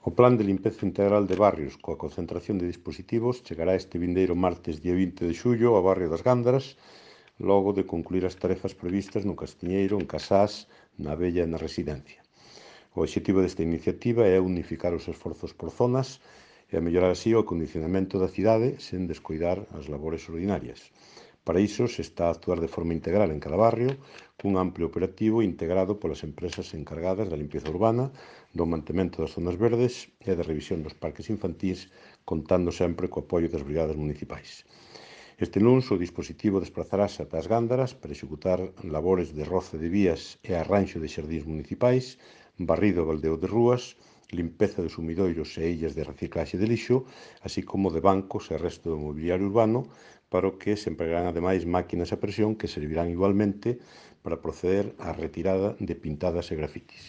O Plan de Limpeza Integral de Barrios coa concentración de dispositivos chegará este vindeiro martes día 20 de xullo ao barrio das Gándaras, logo de concluir as tarefas previstas no Castiñeiro, en Casás, na Abella e na Residencia. O obxectivo desta iniciativa é unificar os esforzos por zonas e a mellorar así o acondicionamento da cidade sen descoidar as labores ordinarias. Para iso se está a actuar de forma integral en cada barrio, cun amplio operativo integrado polas empresas encargadas da limpeza urbana, do mantemento das zonas verdes e da revisión dos parques infantís, contando sempre co apoio das brigadas municipais. Este luns o dispositivo desplazarase ata as Gándaras para executar labores de roce de vías e arranxo de xardíns municipais, barrido e baldeo de rúas, limpeza de sumidoiros e illas de reciclaxe de lixo, así como de bancos e resto do mobiliario urbano, para o que se empregarán ademais máquinas a presión que servirán igualmente para proceder á retirada de pintadas e grafitis.